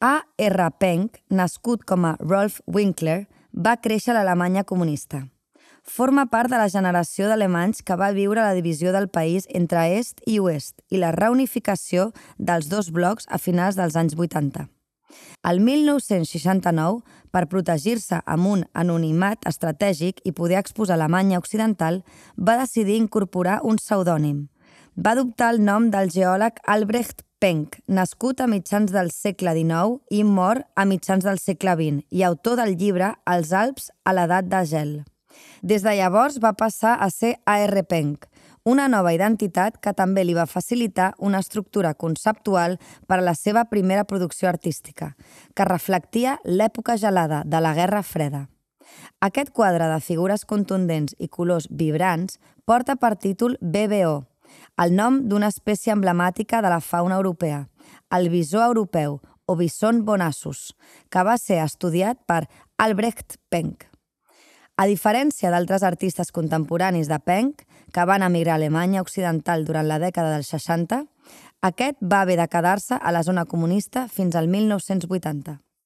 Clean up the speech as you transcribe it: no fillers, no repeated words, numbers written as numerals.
A. R. Penck, nascut com a Rolf Winkler, va créixer a l'Alemanya comunista. Forma part de la generació d'alemanys que va viure la divisió del país entre est i oest i la reunificació dels dos blocs a finals dels anys 80. El 1969, per protegir-se amb un anonimat estratègic i poder exposar Alemanya Occidental, va decidir incorporar un pseudònim. Va adoptar el nom del geòleg Albrecht Penck, nascut a mitjans del segle XIX i mort a mitjans del segle XX, i autor del llibre Els Alps a l'edat de gel. Des de llavors va passar a ser A.R. Penck, una nova identitat que també li va facilitar una estructura conceptual per a la seva primera producció artística, que reflectia l'època gelada de la Guerra Freda. Aquest quadre de figures contundents i colors vibrants porta per títol BBO, el nom d'una espècie emblemàtica de la fauna europea, el bisó europeu o bison bonassus, que va ser estudiat per Albrecht Penck. A diferència d'altres artistes contemporanis de Penck, que van emigrar a Alemanya Occidental durant la dècada dels 60, aquest va haver de quedar-se a la zona comunista fins al 1980.